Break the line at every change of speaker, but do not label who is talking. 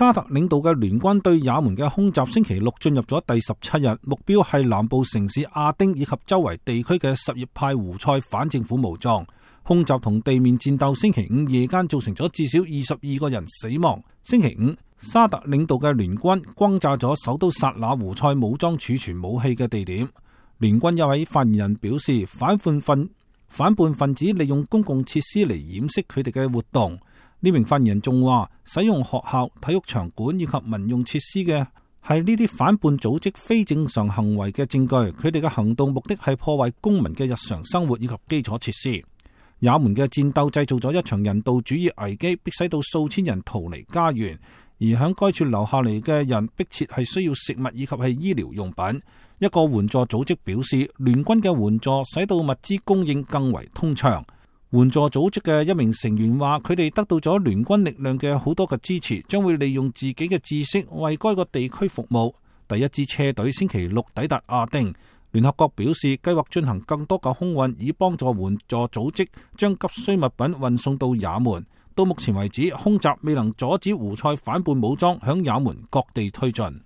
沙特領導嘅聯軍對也門嘅空襲星期六進入咗第17日，目標係南部城市亞丁以及周圍地區嘅什葉派胡塞反政府武裝。空襲同地面戰鬥星期五夜間造成咗至少22個人死亡。星期五，沙特領導嘅聯軍轟炸咗首都薩那胡塞武裝儲存武器嘅地點。聯軍一位發言人表示，反叛分子利用公共設施嚟掩飾佢哋嘅活動。呢名發言人仲話，使用學校、體育場館以及民用設施嘅係呢啲反叛組織非正常行為嘅證據。佢哋嘅行動目的係破壞公民嘅日常生活以及基礎設施。也門嘅戰鬥製造咗一場人道主義危機，迫使到數千人逃離家園，而響該處留下嚟嘅人迫切係需要食物以及係醫療用品。一個援助組織表示，聯軍嘅援助使到物資供應更為通暢。援助組織嘅一名成員話，佢哋得到咗聯軍力量嘅好多嘅支持，將會利用自己嘅知識為該個地區服務。第一支車隊星期六抵達亞丁。聯合國表示，計劃進行更多嘅空運，以幫助援助組織將急需物品運送到也門。到目前為止，空襲未能阻止胡塞反叛武裝響也門各地推進。